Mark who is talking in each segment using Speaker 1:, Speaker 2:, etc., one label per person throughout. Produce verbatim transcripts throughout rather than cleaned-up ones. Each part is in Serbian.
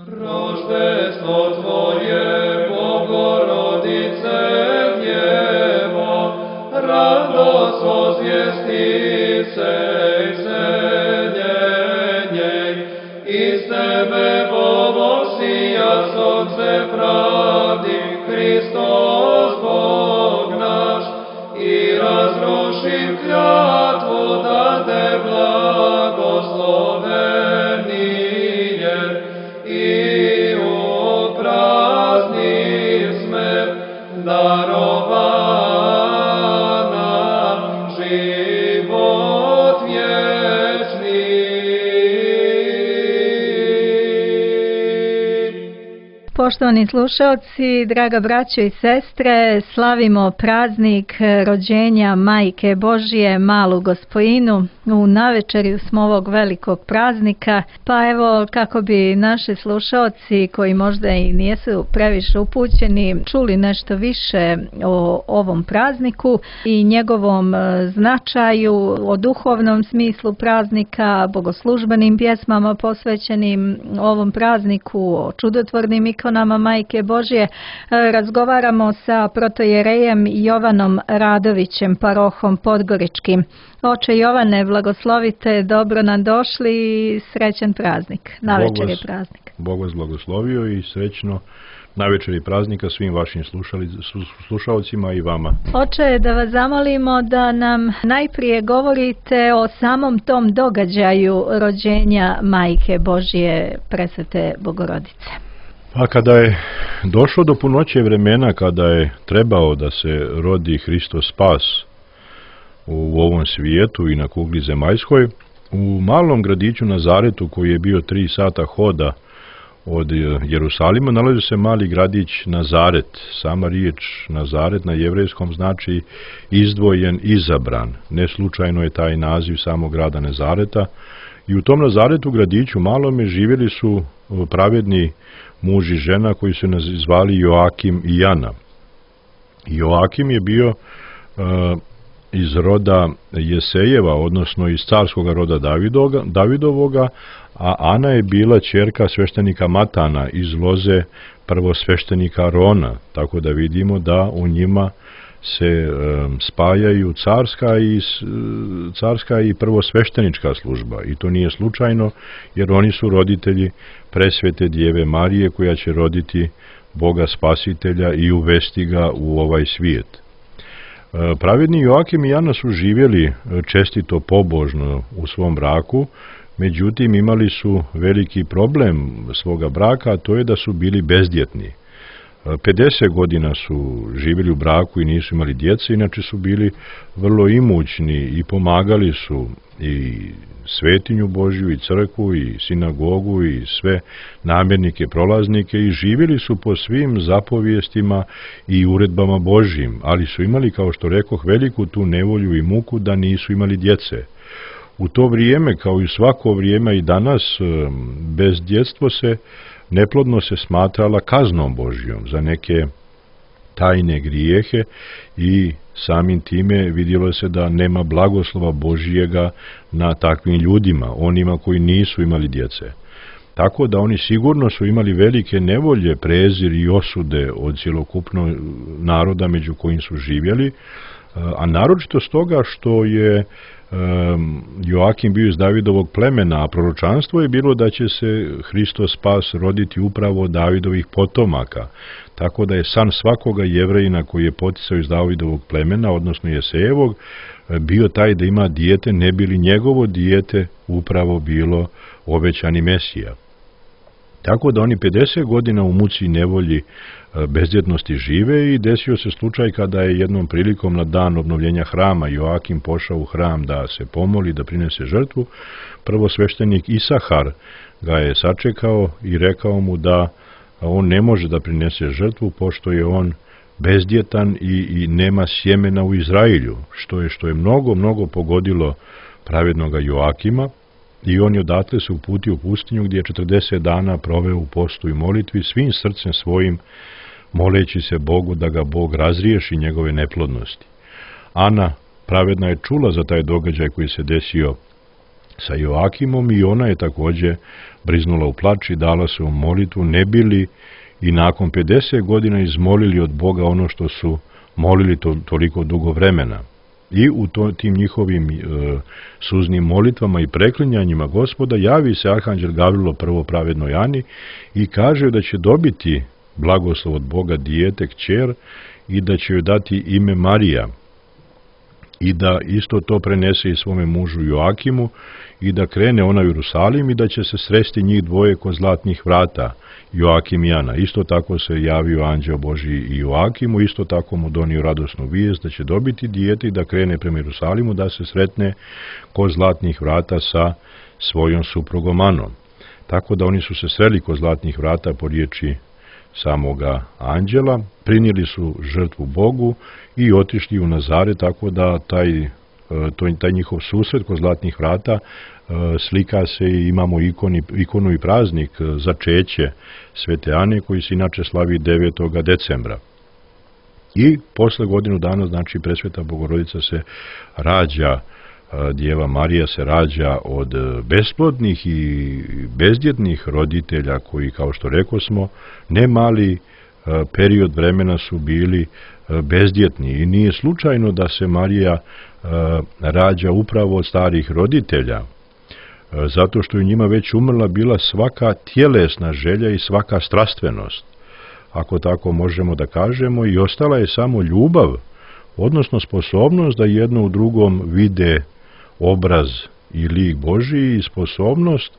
Speaker 1: Roždestvo Tvoje, Bogorodice Djevo, radost ozvjestice i zenjenje, iz Tebe povosija sonce pravdi, Hristos Bog naš, i razrušim klятву da Te blagoslovenije, i upraznim smrt darovana život vječni.
Speaker 2: Poštovani slušalci, draga braćo i sestre, slavimo praznik rođenja Majke Božije, malu Gospojinu. U navečerju smo ovog velikog praznika, pa evo kako bi naši slušalci koji možda i nisu previše upućeni čuli nešto više o ovom prazniku i njegovom značaju, o duhovnom smislu praznika, bogoslužbenim pjesmama posvećenim ovom prazniku, o čudotvornim ikonama Majke Božje, razgovaramo sa protojerejem Jovanom Radovićem, parohom Podgoričkim. Oče Jovane, blagoslovite, dobro nam došli i srećan praznik. Navečer je praznik.
Speaker 3: Bog vas blagoslovio i srećno navečer je praznika svim vašim slušalcima i vama.
Speaker 2: Oče, da vas zamolimo da nam najprije govorite o samom tom događaju rođenja Majke Božje Presvete Bogorodice.
Speaker 3: Pa kada je došlo do punoće vremena, kada je trebao da se rodi Hristos spas u ovom svijetu i na kugli zemaljskoj, u malom gradiću Nazaretu, koji je bio tri sata hoda od Jerusalima, nalazi se mali gradić Nazaret. Sama riječ Nazaret na jevrejskom znači izdvojen, izabran. Ne slučajno je taj naziv samog grada Nazareta. I u tom Nazaretu, gradiću malome, živjeli su pravedni muž i žena koji su zvali Joakim i Jana. Joakim je bio uh, iz roda Jesejeva, odnosno iz carskog roda Davidoga, Davidovoga, a Ana je bila ćerka sveštenika Matana iz loze prvosveštenika Arona, tako da vidimo da u njima se um, spajaju carska i, carska i prvosveštenička služba. I to nije slučajno, jer oni su roditelji presvete Djeve Marije, koja će roditi Boga Spasitelja i uvesti ga u ovaj svijet. Pravedni Joakim i Jana su živjeli čestito, pobožno u svom braku, međutim imali su veliki problem svoga braka, a to je da su bili bezdjetni. pedeset godina su živjeli u braku i nisu imali djece, inače su bili vrlo imućni i pomagali su i svetinju Božju, i crkvu, i sinagogu, i sve namjernike, prolaznike, i živjeli su po svim zapovijestima i uredbama Božjim, ali su imali, kao što rekoh, veliku tu nevolju i muku da nisu imali djece. U to vrijeme, kao i svako vrijeme i danas, bezdjetstvo se, neplodno se smatrala kaznom Božjom za neke tajne grijehe i samim time vidjelo se da nema blagoslova Božjega na takvim ljudima, onima koji nisu imali djece. Tako da oni sigurno su imali velike nevolje, prezir i osude od cjelokupnog naroda među kojim su živjeli, a naročito stoga što je Joakim bio iz Davidovog plemena, a proročanstvo je bilo da će se Hristos spas roditi upravo od Davidovih potomaka. Tako da je san svakoga Jevrejina koji je poticao iz Davidovog plemena, odnosno Jesejevog, bio taj da ima dijete, ne bi li njegovo dijete upravo bilo obećani Mesija. Tako da oni pedeset godina u muci i nevolji bezdjetnosti žive i desio se slučaj kada je jednom prilikom na dan obnovljenja hrama Joakim pošao u hram da se pomoli, da prinese žrtvu. Prvosveštenik Isahar ga je sačekao i rekao mu da on ne može da prinese žrtvu pošto je on bezdjetan i, i nema sjemena u Izrailju, što je, što je mnogo, mnogo pogodilo pravednoga Joakima. I on je odatle se uputio u pustinju gdje je četrdeset dana proveo u postu i molitvi, svim srcem svojim moleći se Bogu da ga Bog razriješi njegove neplodnosti. Ana pravedna je čula za taj događaj koji se desio sa Joakimom i ona je također briznula u plač i dala se u molitvu, ne bili i nakon pedeset godina izmolili od Boga ono što su molili to, toliko dugo vremena. I u to, tim njihovim e, suznim molitvama i preklinjanjima Gospoda javi se arhanđel Gavrilo prvo pravednoj Ani i kaže da će dobiti blagoslov od Boga dijete, kćer, i da će joj dati ime Marija i da isto to prenese i svome mužu Joakimu i da krene ona u Jerusalim i da će se sresti njih dvoje kod zlatnih vrata, Joakim i Ana. Isto tako se javio anđeo Božji i Joakimu, isto tako mu donio radosnu vijest da će dobiti dijete i da krene prema Jerusalimu da se sretne kod zlatnih vrata sa svojom suprugom Anom. Tako da oni su se sreli kod zlatnih vrata po riječi samoga anđela, prinijeli su žrtvu Bogu i otišli u Nazare, tako da taj, taj njihov susret kod zlatnih vrata slika se i imamo ikoni, ikonu i praznik začeće Svete Ane koji se inače slavi devetog decembra. I posle godinu dana, znači, Presveta Bogorodica se rađa, Djeva Marija se rađa od besplodnih i bezdjetnih roditelja koji, kao što rekosmo, ne mali period vremena su bili bezdjetni. I nije slučajno da se Marija rađa upravo od starih roditelja, zato što je njima već umrla bila svaka tjelesna želja i svaka strastvenost, ako tako možemo da kažemo, i ostala je samo ljubav, odnosno sposobnost da jedno u drugom vide obraz i lik Božiji i sposobnost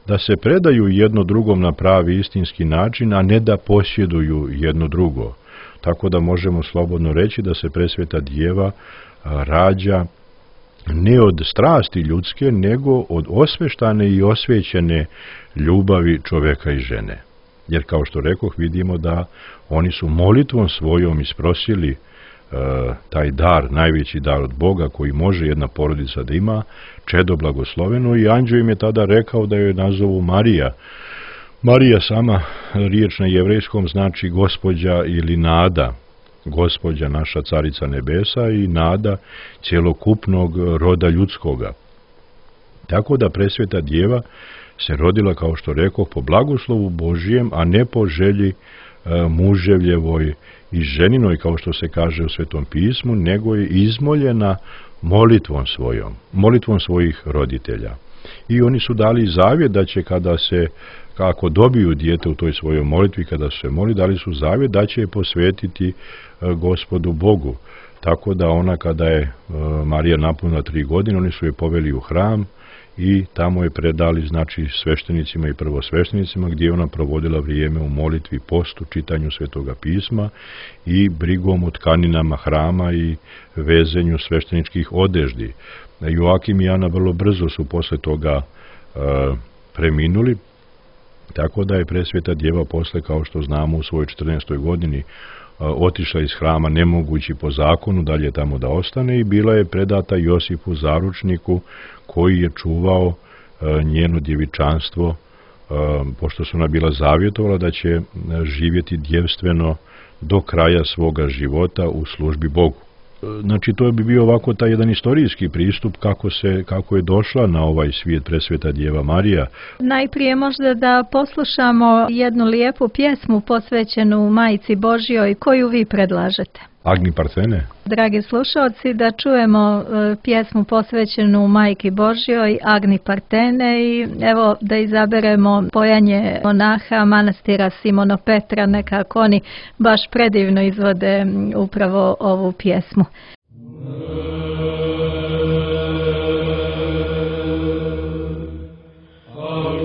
Speaker 3: da se predaju jedno drugom na pravi istinski način, a ne da posjeduju jedno drugo. Tako da možemo slobodno reći da se Presveta Djeva rađa ne od strasti ljudske, nego od osveštane i osvećene ljubavi čoveka i žene. Jer, kao što rekoh, vidimo da oni su molitvom svojom isprosili e, taj dar, najveći dar od Boga koji može jedna porodica da ima, čedo blagosloveno, i anđeo im je tada rekao da joj nazovu Marija. Marija, sama riječ na jevrejskom, znači gospođa ili nada, gospođa naša carica nebesa i nada cjelokupnog roda ljudskoga. Tako da Presveta Djeva se rodila, kao što rekoh, po blagoslovu Božijem, a ne po želji e, muževljevoj i ženinoj, kao što se kaže u Svetom pismu, nego je izmoljena molitvom svojom, molitvom svojih roditelja. I oni su dali zavjet da će, kada se, kako dobiju dijete u toj svojoj molitvi, kada su se moli, dali su zavjet da će je posvetiti e, Gospodu Bogu. Tako da ona, kada je e, Marija napunila tri godine, oni su je poveli u hram i tamo je predali, znači, sveštenicima i prvosveštenicima, gdje je ona provodila vrijeme u molitvi, postu, čitanju Svetoga pisma i brigom o tkaninama hrama i vezenju svešteničkih odeždi. Joakim i Ana vrlo brzo su posle toga e, preminuli, tako da je Presveta Djeva posle, kao što znamo, u svojoj četrnaestoj godini e, otišla iz hrama, ne mogući po zakonu dalje tamo da ostane, i bila je predata Josipu Zaručniku, koji je čuvao e, njeno djevičanstvo, e, pošto su ona bila zavjetovala da će živjeti djevstveno do kraja svoga života u službi Bogu. Znači, to bi bio ovako taj jedan istorijski pristup kako se, kako je došla na ovaj svijet Presveta Djeva Marija.
Speaker 2: Najprije možda da poslušamo jednu lijepu pjesmu posvećenu Majici Božjoj, koju vi predlažete.
Speaker 3: Agni Parthene.
Speaker 2: Dragi slušalci, da čujemo e, pjesmu posvećenu Majki Božjoj, Agni Parthene, i evo da izaberemo pojanje monaha manastira Simono Petra, nekako oni baš predivno izvode upravo ovu pjesmu.
Speaker 1: Oh,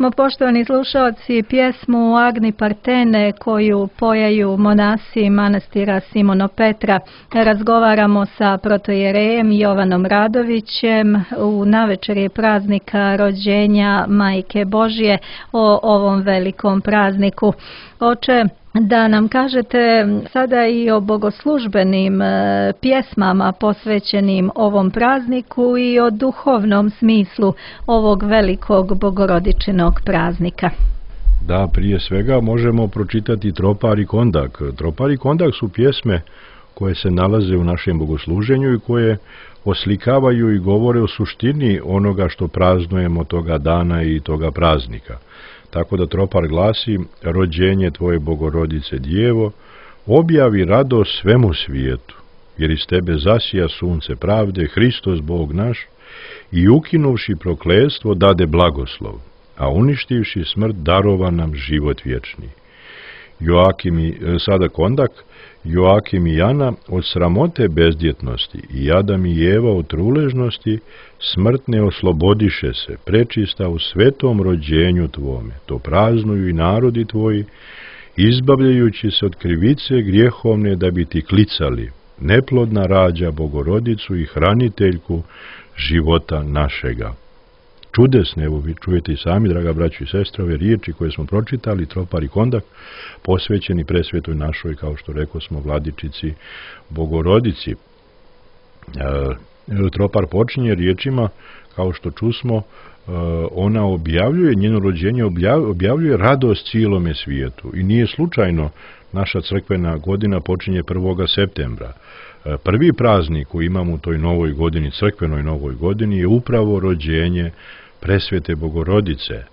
Speaker 2: smo, poštovani slušalci, pjesmu Agni Partene koju pojaju monasi manastira Simono Petra. Razgovaramo sa protojerejem Jovanom Radovićem u navečeri praznika rođenja Majke Božje o ovom velikom prazniku. Oče, da nam kažete sada i o bogoslužbenim e, pjesmama posvećenim ovom prazniku i o duhovnom smislu ovog velikog bogorodičinog praznika.
Speaker 3: Da, prije svega možemo pročitati Tropar i Kondak. Tropar i Kondak su pjesme koje se nalaze u našem bogosluženju i koje oslikavaju i govore o suštini onoga što praznujemo toga dana i toga praznika. Tako da Tropar glasi: rođenje Tvoje Bogorodice Djevo, objavi radost svemu svijetu, jer iz Tebe zasija sunce pravde, Hristos Bog naš, i ukinuvši prokletstvo dade blagoslov, a uništivši smrt darova nam život vječni. Joakim i, sada Kondak, Joakim i Jana od sramote bezdjetnosti i Adam i Eva od truležnosti smrtne oslobodiše se, prečista u svetom rođenju Tvome. To praznuju i narodi Tvoji, izbavljajući se od krivice grijehovne da bi Ti klicali: neplodna rađa Bogorodicu i hraniteljku života našega. Čudesne, evo vi čujete i sami, draga braćo i sestre, ove riječi koje smo pročitali, Tropar i Kondak, posvećeni presvetoj našoj, kao što rekao smo, vladičici Bogorodici. E, Tropar počinje riječima, kao što čusmo, e, ona objavljuje, njeno rođenje objavljuje radost cijelome svijetu. I nije slučajno, naša crkvena godina počinje prvog septembra. E, prvi praznik koji imamo u toj novoj godini, crkvenoj novoj godini, je upravo rođenje presvete Bogorodice,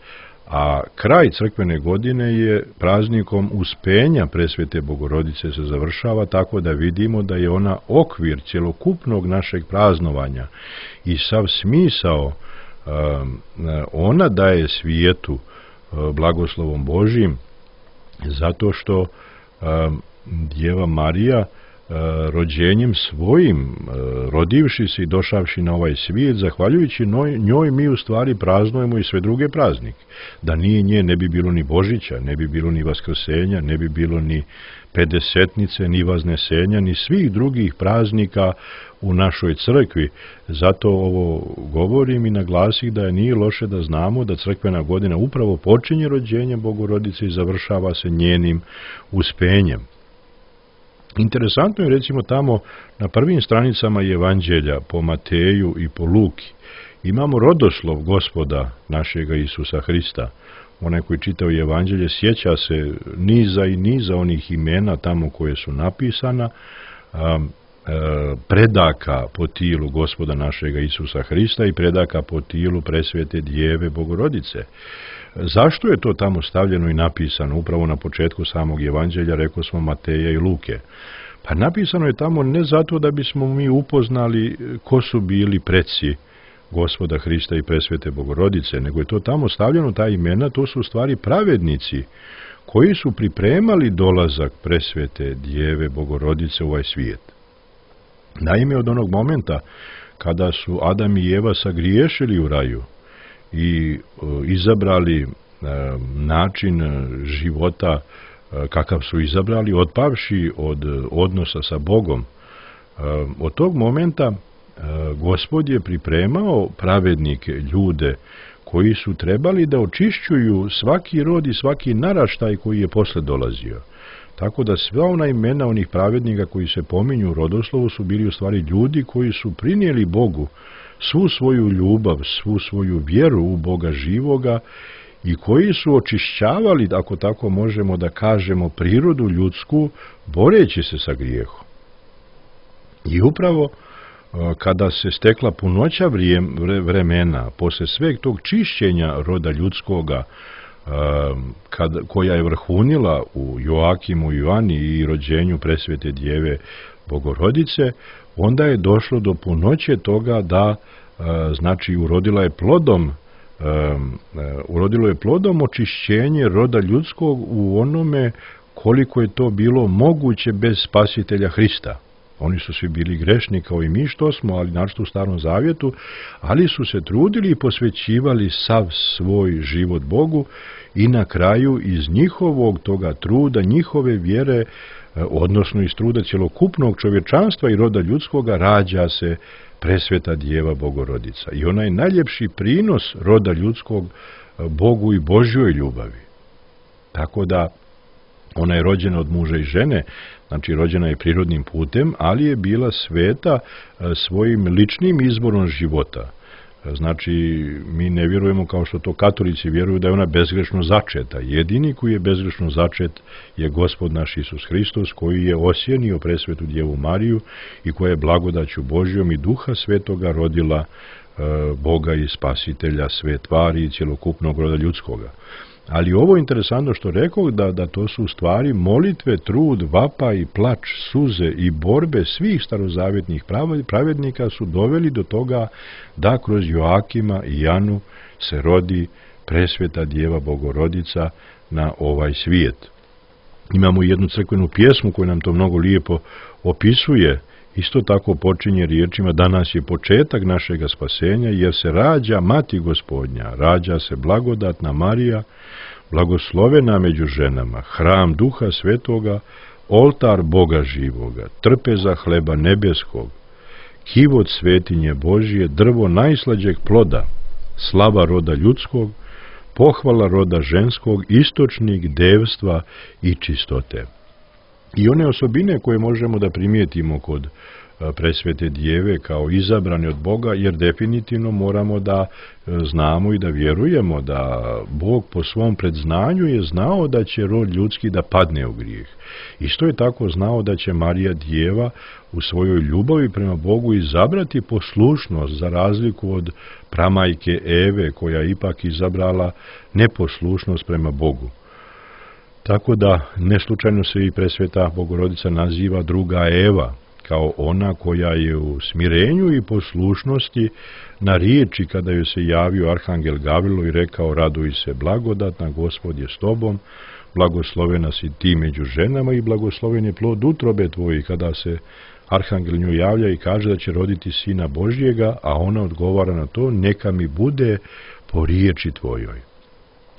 Speaker 3: a kraj crkvene godine je praznikom uspenja presvete Bogorodice se završava, tako da vidimo da je ona okvir cjelokupnog našeg praznovanja i sav smisao ona daje svijetu blagoslovom Božjim, zato što Djeva Marija rođenjem svojim, rodivši se i došavši na ovaj svijet, zahvaljujući njoj mi u stvari praznujemo i sve druge praznike. Da nije nje, ne bi bilo ni Božića, ne bi bilo ni Vaskrsenja, ne bi bilo ni Pedesetnice, ni Vaznesenja, ni svih drugih praznika u našoj crkvi. Zato ovo govorim i naglasih da je nije loše da znamo da crkvena godina upravo počinje rođenjem Bogorodice i završava se njenim uspenjem. Interesantno je, recimo, tamo na prvim stranicama Evanđelja po Mateju i po Luki imamo rodoslov Gospoda našega Isusa Hrista. Onaj koji čitao Evanđelje sjeća se niza i niza onih imena tamo koje su napisana, a, a, predaka po tilu Gospoda našega Isusa Hrista i predaka po tilu presvete Djeve Bogorodice. Zašto je to tamo stavljeno i napisano upravo na početku samog Evanđelja, rekao smo Mateja i Luke? Pa napisano je tamo ne zato da bismo mi upoznali ko su bili preci Gospoda Hrista i presvete Bogorodice, nego je to tamo stavljeno, ta imena, to su u stvari pravednici koji su pripremali dolazak presvete Djeve Bogorodice u ovaj svijet. Naime, od onog momenta kada su Adam i Eva sagriješili u raju i izabrali način života kakav su izabrali, otpavši od odnosa sa Bogom, od tog momenta Gospod je pripremao pravednike, ljude koji su trebali da očišćuju svaki rod i svaki naraštaj koji je posle dolazio. Tako da sva ona imena onih pravednika koji se pominju u rodoslovu su bili u stvari ljudi koji su prinijeli Bogu svu svoju ljubav, svu svoju vjeru u Boga živoga i koji su očišćavali, ako tako možemo da kažemo, prirodu ljudsku, boreći se sa grijehom. I upravo kada se stekla punoća vremena, posle sveg tog čišćenja roda ljudskoga, kad, koja je vrhunila u Joakimu i Joani i rođenju presvete Djeve Bogorodice, onda je došlo do punoće toga da, znači, urodila je plodom, urodilo je plodom očišćenje roda ljudskog u onome koliko je to bilo moguće bez spasitelja Hrista. Oni su svi bili grešni kao i mi što smo, ali naročito u Starom Zavjetu, ali su se trudili i posvećivali sav svoj život Bogu i na kraju iz njihovog toga truda, njihove vjere, odnosno iz truda cjelokupnog čovječanstva i roda ljudskoga, rađa se presveta Djeva Bogorodica. I ona je najljepši prinos roda ljudskog Bogu i Božjoj ljubavi. Tako da ona je rođena od muža i žene, znači rođena je prirodnim putem, ali je bila sveta svojim ličnim izborom života. Znači, mi ne vjerujemo kao što to katolici vjeruju da je ona bezgrešno začeta. Jedini koji je bezgrešno začet je Gospod naš Isus Hristos, koji je osjenio presvetu Djevu Mariju i koja je blagodaću Božjom i Duha Svetoga rodila e, Boga i Spasitelja sve tvari i cjelokupnog roda ljudskoga. Ali ovo je interesantno što rekao da, da to su u stvari molitve, trud, vapa i plač, suze i borbe svih starozavjetnih pravednika su doveli do toga da kroz Joakima i Janu se rodi presveta Djeva Bogorodica na ovaj svijet. Imamo jednu crkvenu pjesmu koja nam to mnogo lijepo opisuje. Isto tako počinje riječima: danas je početak našega spasenja, jer se rađa Mati Gospodnja, rađa se blagodatna Marija, blagoslovena među ženama, hram Duha Svetoga, oltar Boga živoga, trpeza hleba nebeskog, kivot svetinje Božije, drvo najslađeg ploda, slava roda ljudskog, pohvala roda ženskog, istočnik devstva i čistote. I one osobine koje možemo da primijetimo kod presvete Djeve kao izabrane od Boga, jer definitivno moramo da znamo i da vjerujemo da Bog po svom predznanju je znao da će rod ljudski da padne u grijeh. Isto je tako znao da će Marija Djeva u svojoj ljubavi prema Bogu izabrati poslušnost, za razliku od pramajke Eve, koja je ipak izabrala neposlušnost prema Bogu. Tako da neslučajno se i presveta Bogorodica naziva druga Eva, kao ona koja je u smirenju i poslušnosti na riječi kada joj se javio arhangel Gavrilo i rekao: raduj se blagodatna, Gospod je s tobom, blagoslovena si ti među ženama i blagosloven je plod utrobe tvoje. Kada se arhangel nju javlja i kaže da će roditi sina Božjega, a ona odgovara na to: neka mi bude po riječi tvojoj.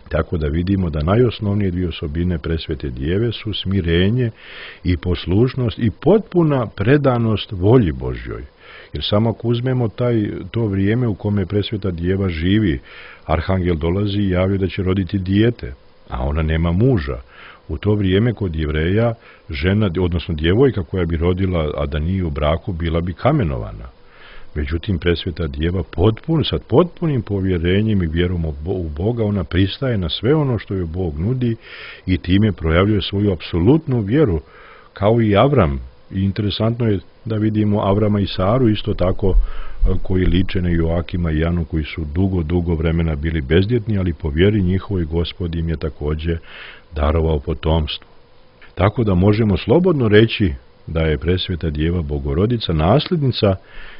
Speaker 3: Tako da vidimo da najosnovnije dvije osobine presvete Djeve su smirenje i poslušnost i potpuna predanost volji Božjoj. Jer samo ako uzmemo taj, to vrijeme u kome presveta Djeva živi, arhangel dolazi i javlja da će roditi dijete, a ona nema muža. U to vrijeme kod Jevreja žena, odnosno djevojka koja bi rodila, a da nije u braku, bila bi kamenovana. Međutim, presveta Djeva potpun, sad potpunim povjerenjem i vjerom u Boga, ona pristaje na sve ono što joj Bog nudi i time projavljuje svoju apsolutnu vjeru, kao i Avram. I interesantno je da vidimo Avrama i Saru isto tako, koji liče na Joakima i Janu, koji su dugo, dugo vremena bili bezdjetni, ali po vjeri njihovoj Gospod im je također darovao potomstvo. Tako da možemo slobodno reći da je presveta Djeva Bogorodica nasljednica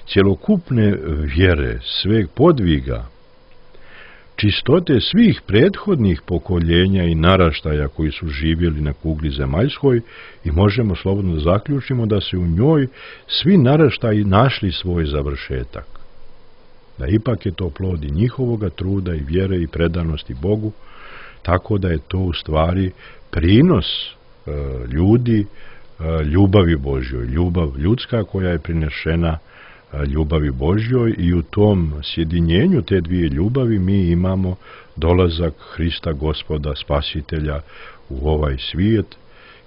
Speaker 3: cjelokupne vjere, sveg podviga, čistote svih prethodnih pokoljenja i naraštaja koji su živjeli na kugli zemaljskoj, i možemo slobodno da zaključimo da se u njoj svi naraštaji našli svoj završetak. Da ipak je to plod i njihovoga truda i vjere i predanosti Bogu, tako da je to u stvari prinos e, ljudi, e, ljubavi Božjoj, ljubav ljudska koja je prinešena ljubavi Božjoj, i u tom sjedinjenju te dvije ljubavi mi imamo dolazak Hrista Gospoda Spasitelja u ovaj svijet.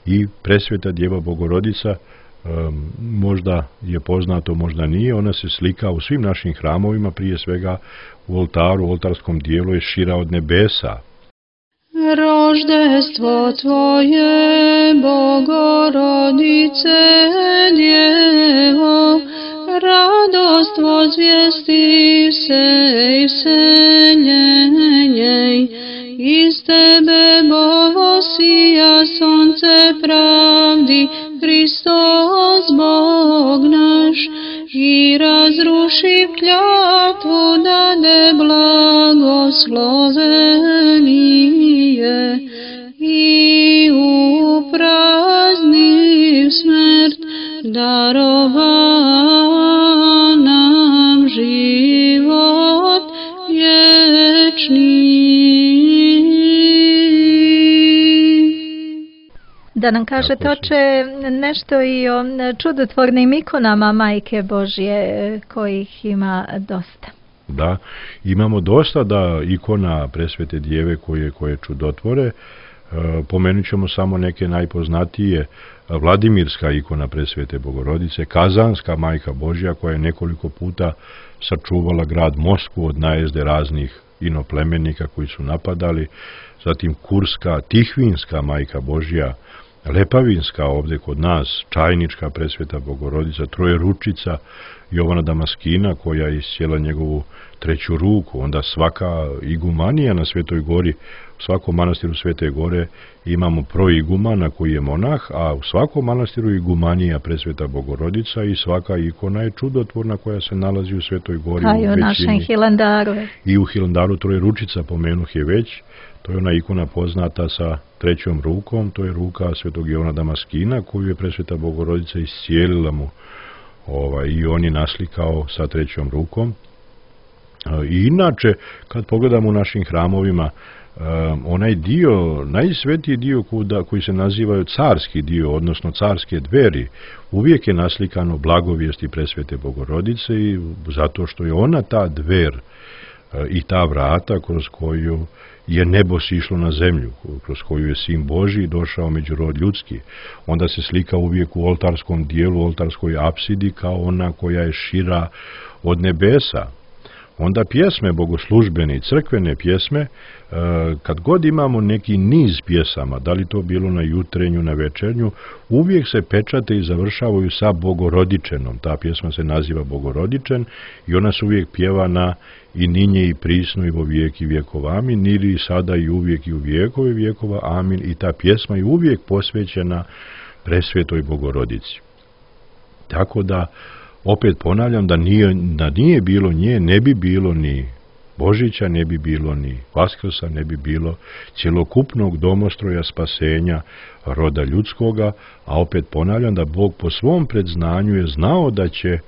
Speaker 3: I presveta Djeva Bogorodica, um, možda je poznato, možda nije, ona se slika u svim našim hramovima, prije svega u oltaru, u oltarskom dijelu je šira od nebesa.
Speaker 4: Roždestvo Tvoje, Bogorodice Djevo, radost voзвijesti se i vseljenje, iz Tebe Bovo sija sonce pravdi, Hristos Bog naš, i razruši klятву dade blagoslovenije, i uprazni smrt darovao nam život vječni.
Speaker 2: Da nam kažete, oče, nešto i o čudotvornim ikonama Majke Božje, kojih ima dosta.
Speaker 3: Da, imamo dosta da ikona Presvete Djeve koje, koje čudotvore. E, pomenut ćemo samo neke najpoznatije. Vladimirska ikona Presvete Bogorodice, Kazanska Majka Božja koja je nekoliko puta sačuvala grad Moskvu od najezde raznih inoplemenika koji su napadali, zatim Kurska, Tihvinska Majka Božja, Lepavinska ovdje kod nas, Čajnička Presveta Bogorodica, Trojeručica Jovana Damaskina koja je iscijela njegovu treću ruku, onda svaka igumanija na Svetoj Gori, u svakom manastiru Svete Gore imamo proigumana koji je monah, a u svakom manastiru igumanija Presveta Bogorodica i svaka ikona je čudotvorna koja se nalazi u Svetoj Gori.
Speaker 2: A i u našem Hilandaru.
Speaker 3: I u Hilandaru Trojeručica, pomenuh je već, to je ona ikona poznata sa trećom rukom, to je ruka Svetog Jovana Damaskina koju je Presveta Bogorodica iscijelila mu ovaj, i on je naslikao sa trećom rukom. I inače, kad pogledamo u našim hramovima, um, onaj dio, najsvetiji dio kuda, koji se nazivaju carski dio, odnosno carske dveri, uvijek je naslikano blagovijesti Presvete Bogorodice i zato što je ona ta dver uh, i ta vrata kroz koju je nebo sišlo na zemlju, kroz koju je Sin Božji došao među rod ljudski. Onda se slika uvijek u oltarskom dijelu, oltarskoj apsidi kao ona koja je šira od nebesa. Onda pjesme bogoslužbene i crkvene pjesme, kad god imamo neki niz pjesama, da li to bilo na jutrenju, na večernju, uvijek se pečate i završavaju sa Bogorodičenom. Ta pjesma se naziva Bogorodičen i ona se uvijek pjeva na i ninje i prisno i vo vijek i vjekov amin, nili i sada i uvijek i u vijekove vjekova amin, i ta pjesma je uvijek posvećena Presvetoj Bogorodici. Tako da, opet ponavljam, da nije, da nije bilo nje, ne bi bilo ni Božića, ne bi bilo ni Vaskrsa, ne bi bilo cjelokupnog domostroja spasenja roda ljudskoga, a opet ponavljam da Bog po svom predznanju je znao da će,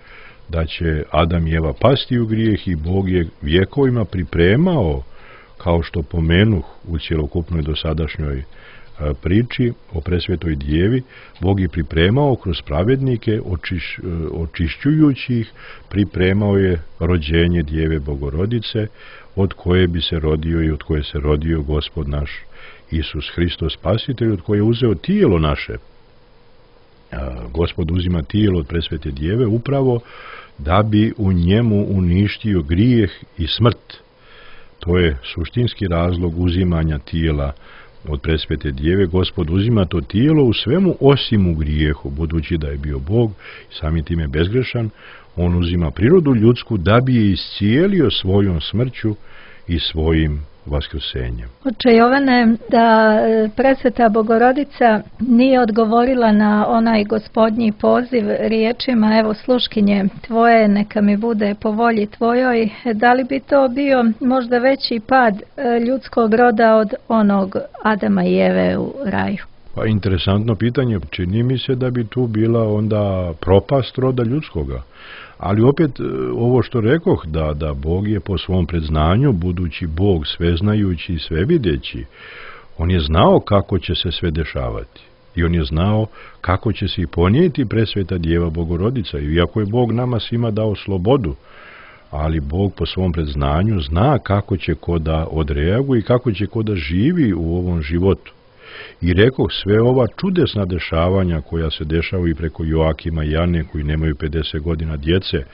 Speaker 3: da će Adam i Eva pasti u grijeh i Bog je vjekovima pripremao, kao što pomenuh u cjelokupnoj dosadašnjoj priči o Presvetoj Djevi, Bog je pripremao kroz pravednike, očiš, očišćujući ih, pripremao je rođenje Djeve Bogorodice, od koje bi se rodio i od koje se rodio Gospod naš Isus Hristos Spasitelj, od koje je uzeo tijelo naše. Gospod uzima tijelo od Presvete Djeve upravo da bi u njemu uništio grijeh i smrt. To je suštinski razlog uzimanja tijela od Presvete Djeve. Gospod uzima to tijelo u svemu osim u grijehu, budući da je bio Bog i samim time bezgrešan, on uzima prirodu ljudsku da bi je iscijelio svojom smrću i svojim vaskrsenjem.
Speaker 2: Oče Jovane, da Presveta Bogorodica nije odgovorila na onaj gospodnji poziv riječima, evo sluškinje tvoje, neka mi bude po volji tvojoj, da li bi to bio možda veći pad ljudskog roda od onog Adama i Eve u raju?
Speaker 3: Pa interesantno pitanje, čini mi se da bi tu bila onda propast roda ljudskoga. Ali opet ovo što rekoh, da, da Bog je po svom predznanju, budući Bog sveznajući i svevideći, on je znao kako će se sve dešavati. I on je znao kako će se i ponijeti Presveta Djeva Bogorodica. I iako je Bog nama svima dao slobodu, ali Bog po svom predznanju zna kako će ko da odreaguje i kako će ko da živi u ovom životu. I rekoh, sve ova čudesna dešavanja koja se dešavaju i preko Joakima i Ane koji nemaju pedeset godina djece,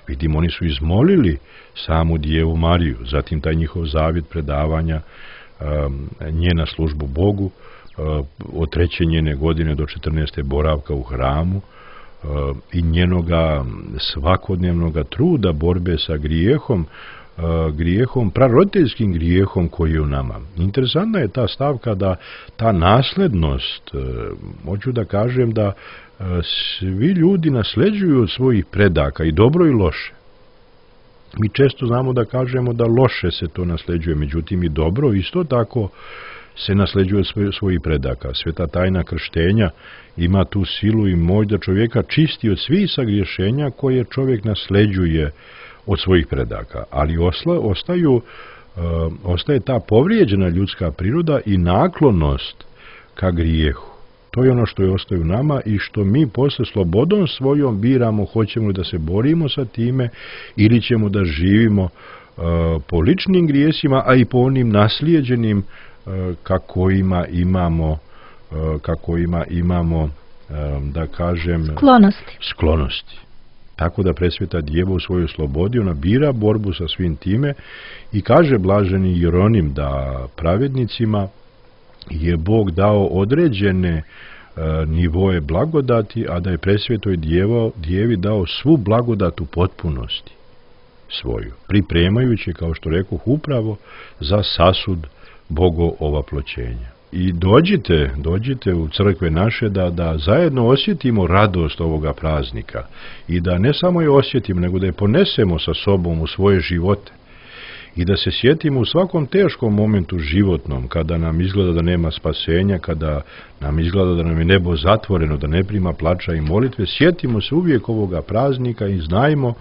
Speaker 3: vidim, oni su izmolili samu Djevu Mariju, zatim taj njihov zavjet predavanja um, njena službu Bogu, uh, od treće njene godine do četrnaeste boravka u hramu uh, i njenoga svakodnevnoga truda borbe sa grijehom, grijehom, praroditeljskim grijehom koji je u nama. Interesantna je ta stavka da ta naslednost, hoću da kažem da svi ljudi nasleđuju od svojih predaka i dobro i loše. Mi često znamo da kažemo da loše se to nasleđuje, međutim i dobro isto tako se nasleđuje od svojih predaka. Sveta tajna krštenja ima tu silu i moć da čovjeka čisti od svih sagriješenja koje čovjek nasleđuje od svojih predaka. Ali osla, ostaju, uh, ostaje ta povrijeđena ljudska priroda i naklonost ka grijehu. To je ono što je ostaje u nama i što mi posle slobodom svojom biramo hoćemo li da se borimo sa time ili ćemo da živimo uh, po ličnim grijesima, a i po onim naslijeđenim uh, kako ima imamo, uh, kako ima imamo, um, da kažem,
Speaker 2: sklonosti.
Speaker 3: sklonosti. Tako da presveta Djeva u svojoj slobodi, ona bira borbu sa svim time i kaže blaženi Jeronim da pravednicima je Bog dao određene e, nivoje blagodati, a da je presvetoj djevo, djevi dao svu blagodat u potpunosti svoju, pripremajući, kao što rekoh, upravo za sasud Bogo ovaploćenja. I dođite, dođite u crkve naše da, da zajedno osjetimo radost ovoga praznika i da ne samo je osjetimo, nego da je ponesemo sa sobom u svoje živote. I da se sjetimo u svakom teškom momentu životnom, kada nam izgleda da nema spasenja, kada nam izgleda da nam je nebo zatvoreno, da ne prima plača i molitve, sjetimo se uvijek ovoga praznika i znajmo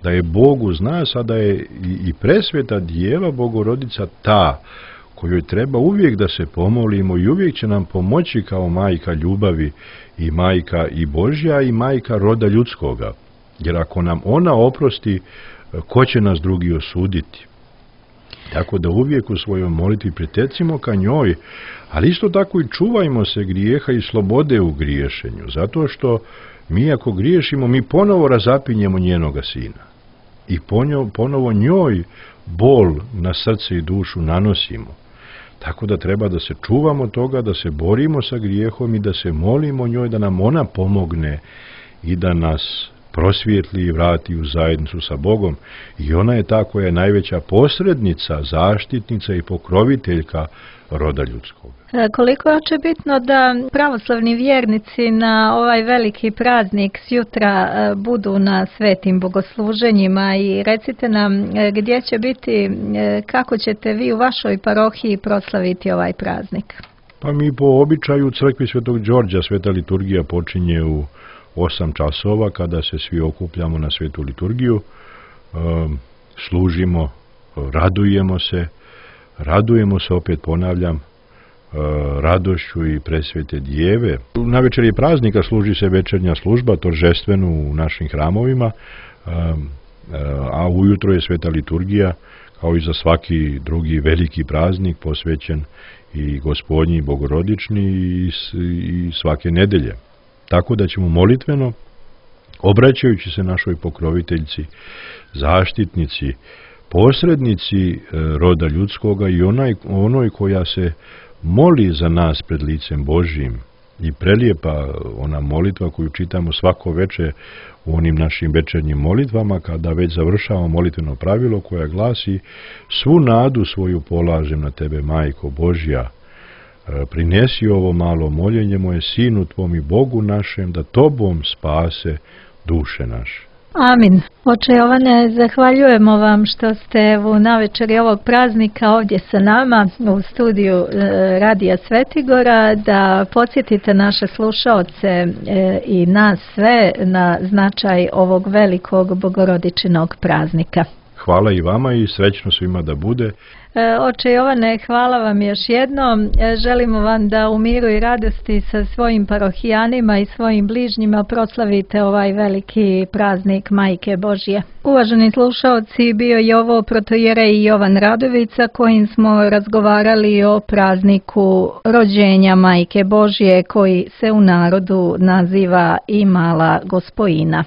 Speaker 3: da je Bog uz nas, a da je i, i presveta Djeva Bogorodica ta kojoj treba uvijek da se pomolimo i uvijek će nam pomoći kao majka ljubavi i majka i Božja i majka roda ljudskoga. Jer ako nam ona oprosti, ko će nas drugi osuditi? Tako da uvijek u svojoj molitvi pretecimo ka njoj, ali isto tako i čuvajmo se grijeha i slobode u griješenju, zato što mi ako griješimo, mi ponovo razapinjemo njenoga sina i ponovo njoj bol na srce i dušu nanosimo. Tako da treba da se čuvamo toga, da se borimo sa grijehom i da se molimo njoj da nam ona pomogne i da nas prosvijetli i vrati u zajednicu sa Bogom. I ona je ta koja je najveća posrednica, zaštitnica i pokroviteljka roda ljudskog.
Speaker 2: Koliko je oče bitno da pravoslavni vjernici na ovaj veliki praznik sjutra budu na svetim bogosluženjima i recite nam gdje će biti, kako ćete vi u vašoj parohiji proslaviti ovaj praznik?
Speaker 3: Pa mi po običaju u crkvi Svetog Đorđa sveta liturgija počinje u osam časova kada se svi okupljamo na svetu liturgiju, služimo, radujemo se, radujemo se, opet ponavljam, radošću i presvete Djeve. Na večeri praznika služi se večernja služba, toržestveno u našim hramovima, a ujutro je sveta liturgija, kao i za svaki drugi veliki praznik, posvećen i Gospodnji i Bogorodični i svake nedelje. Tako da ćemo molitveno, obraćajući se našoj pokroviteljci, zaštitnici, posrednici roda ljudskoga i onaj, onoj koja se moli za nas pred licem Božjim i prelijepa ona molitva koju čitamo svako veče u onim našim večernjim molitvama, kada već završavamo molitveno pravilo koja glasi: svu nadu svoju polažem na tebe, Majko Božja, prinesi ovo malo moljenje moje Sinu tvom i Bogu našem, da tobom spase duše naše.
Speaker 2: Amin. Oče Jovane, zahvaljujemo vam što ste u navečeri ovog praznika ovdje sa nama u studiju Radija Svetigora, da podsjetite naše slušaoce i nas sve na značaj ovog velikog bogorodičinog praznika.
Speaker 3: Hvala i vama i srećno svima da bude.
Speaker 2: Oče Jovane, hvala vam još jednom. Želimo vam da u miru i radosti sa svojim parohijanima i svojim bližnjima proslavite ovaj veliki praznik Majke Božje. Uvaženi slušaoci, bio je ovo protojerej Jovan Radovica kojim smo razgovarali o prazniku rođenja Majke Božje koji se u narodu naziva i Mala Gospojina.